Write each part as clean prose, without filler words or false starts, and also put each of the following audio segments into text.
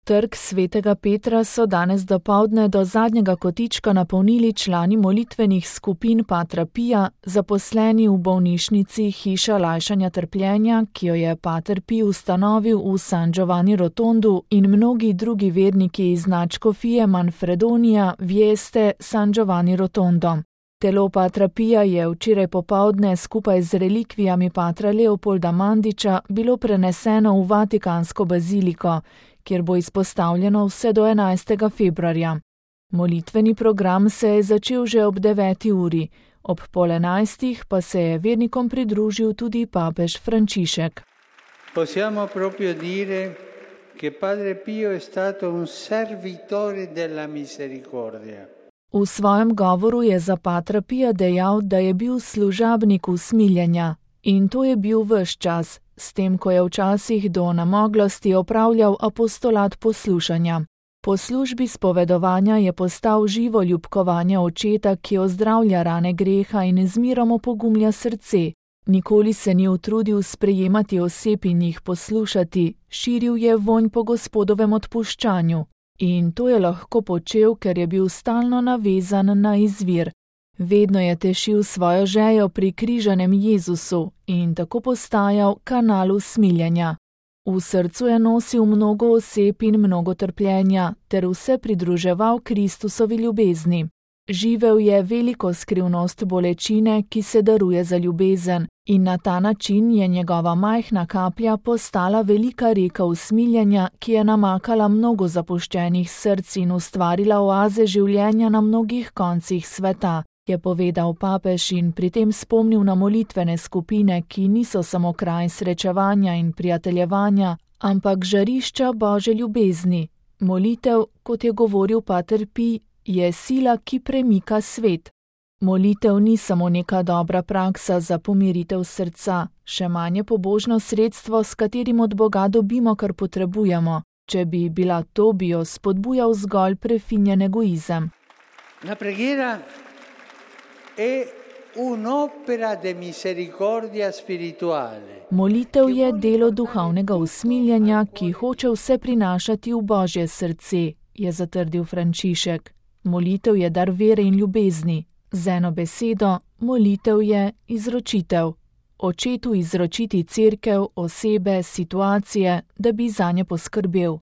Trg Svetega Petra so danes dopoldne do zadnjega kotička napolnili člani molitvenih skupin Patra Pija, zaposleni v bolnišnici Hiša lajšanja trpljenja, ki jo je pater Pij ustanovil v San Giovanni Rotondu, in mnogi drugi verniki iz nadškofije Manfredonija, Vieste, San Giovanni Rotondo. Telo patra Pija je včeraj popoldne skupaj z relikvijami patra Leopolda Mandiča bilo preneseno v Vatikansko baziliko, kjer bo izpostavljeno vse do 11. februarja. Molitveni program se je začel že ob 9. uri, ob 10:30 pa se je vernikom pridružil tudi papež Frančišek. Possiamo proprio dire che padre Pio è stato un servitore della misericordia. V svojem govoru je za patra Pija dejal, da je bil služabnik usmiljenja, in to je bil ves čas, s tem, ko je včasih do namoglosti opravljal apostolat poslušanja. Po službi spovedovanja je postal živo ljubkovanje očeta, ki ozdravlja rane greha in z mirom opogumlja srce. Nikoli se ni utrudil sprejemati oseb in jih poslušati, širil je vonj po Gospodovem odpuščanju. In to je lahko počel, ker je bil stalno navezan na izvir. Vedno je tešil svojo žejo pri križanem Jezusu in tako postajal kanal usmiljenja. V srcu je nosil mnogo oseb in mnogo trpljenja, ter vse pridruževal Kristusovi ljubezni. Živel je veliko skrivnost bolečine, ki se daruje za ljubezen, in na ta način je njegova majhna kaplja postala velika reka usmiljenja, ki je namakala mnogo zapuščenih src in ustvarila oaze življenja na mnogih koncih sveta, je povedal papež in pri tem spomnil na molitvene skupine, ki niso samo kraj srečevanja in prijateljevanja, ampak žarišča Božje ljubezni. Molitev, kot je govoril pater Pij, je sila, ki premika svet. Molitev ni samo neka dobra praksa za pomiritev srca, še manj je pobožno sredstvo, s katerim od Boga dobimo, kar potrebujemo. Če bi bila to, bi jo spodbujal zgolj prefinjen egoizem. La preghiera è un'opera de misericordia spirituale. Molitev je delo duhovnega usmiljenja, ki hoče vse prinašati v Božje srce, je zatrdil Frančišek. Molitev je dar vere in ljubezni. Z eno besedo, molitev je izročitev. Očetu izročiti cerkev, osebe, situacije, da bi zanje poskrbel.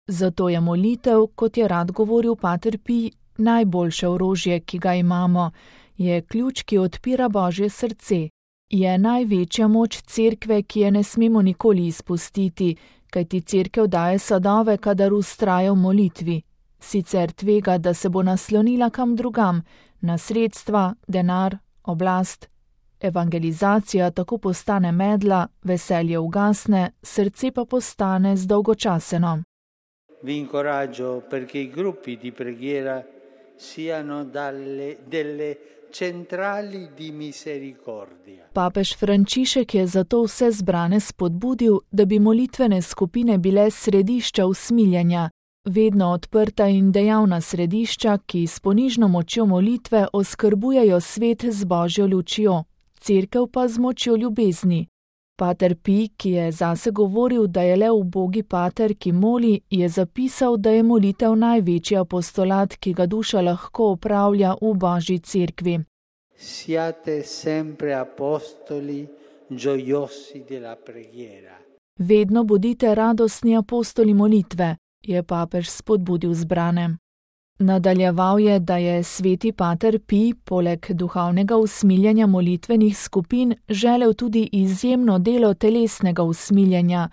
Zato je molitev, kot je rad govoril pater Pij, najboljše orožje, ki ga imamo. Je ključ, ki odpira Božje srce. Je največja moč cerkve, ki je ne smemo nikoli izpustiti, kajti cerkev daje sadove, kadar vztraja v molitvi. Sicer tvega, da se bo naslonila kam drugam, na sredstva, denar, oblast. Evangelizacija tako postane medla, veselje ugasne, srce pa postane zdolgočaseno. Vi incoraggio perché i gruppi di preghiera siano delle centrali di misericordia. Papež Frančišek je zato vse zbrane spodbudil, da bi molitvene skupine bile središča usmiljenja, vedno odprta in dejavna središča, ki s ponižno močjo molitve oskrbujejo svet z Božjo lučjo, cerkev pa z močjo ljubezni. Pater Pij, ki je zase govoril, da je le ubogi pater, ki moli, je zapisal, da je molitev največji apostolat, ki ga duša lahko opravlja v Božji cerkvi. Siate sempre apostoli gioiosi della preghiera. Vedno bodite radostni apostoli molitve, je papež spodbudil zbrane. Nadaljeval je, da je sveti pater Pij poleg duhovnega usmiljenja molitvenih skupin želel tudi izjemno delo telesnega usmiljenja,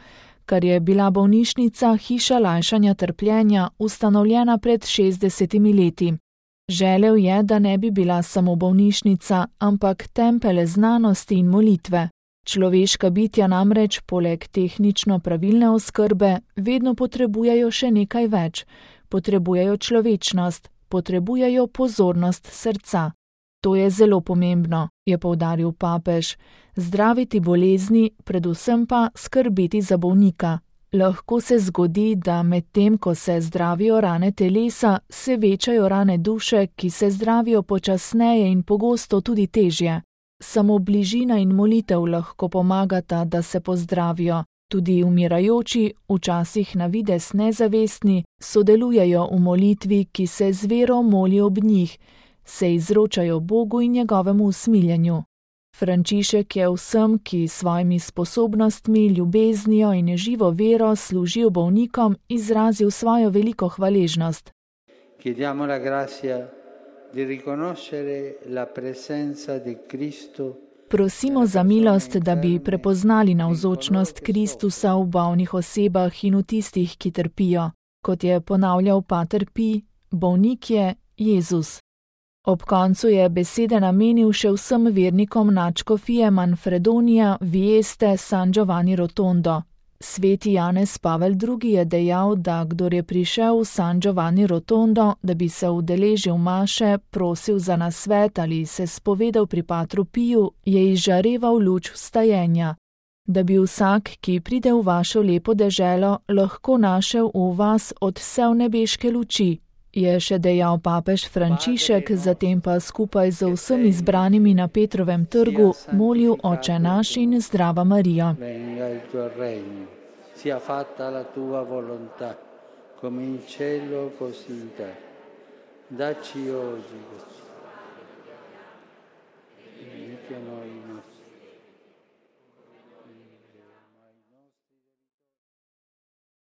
kar je bila bolnišnica Hiša lajšanja trpljenja ustanovljena pred 60 leti. Želel je, da ne bi bila samo bolnišnica, ampak tempelj znanosti in molitve. Človeška bitja namreč poleg tehnično pravilne oskrbe vedno potrebujejo še nekaj več. Potrebujejo človečnost, potrebujejo pozornost srca. To je zelo pomembno, je poudaril papež. Zdraviti bolezni, predvsem pa skrbeti za bolnika. Lahko se zgodi, da medtem, ko se zdravijo rane telesa, se večajo rane duše, ki se zdravijo počasneje in pogosto tudi težje. Samo bližina in molitev lahko pomagata, da se pozdravijo. Tudi umirajoči, včasih na vides nezavestni, sodelujejo v molitvi, ki se z vero moli ob njih, se izročajo Bogu in njegovemu usmiljenju. Frančišek je vsem, ki s svojimi sposobnostmi, ljubeznijo in živo vero služijo bolnikom, izrazil svojo veliko hvaležnost. Chiediamo la grazia di riconoscere la presenza di Cristo. Prosimo za milost, da bi prepoznali navzočnost Kristusa v bolnih osebah in v tistih, ki trpijo. Kot je ponavljal pater Pij, bolnik je Jezus. Ob koncu je besede namenil še vsem vernikom nadškofije Manfredonija Vieste San Giovanni Rotondo. Sveti Janez Pavel II. Je dejal, da kdor je prišel v San Giovanni Rotondo, da bi se udeležil maše, prosil za nasvet ali se spovedal pri patru Piju, je izžareval luč vstajenja. Da bi vsak, ki pride v vašo lepo deželo, lahko našel v vas odsev nebeške luči, je še dejal papež Frančišek, zatem pa skupaj z vsemi izbranimi na Petrovem trgu molil Oče naš in Zdrava Marija. Sia fatta la tua volontà, come in cielo così in terra. Dacci oggi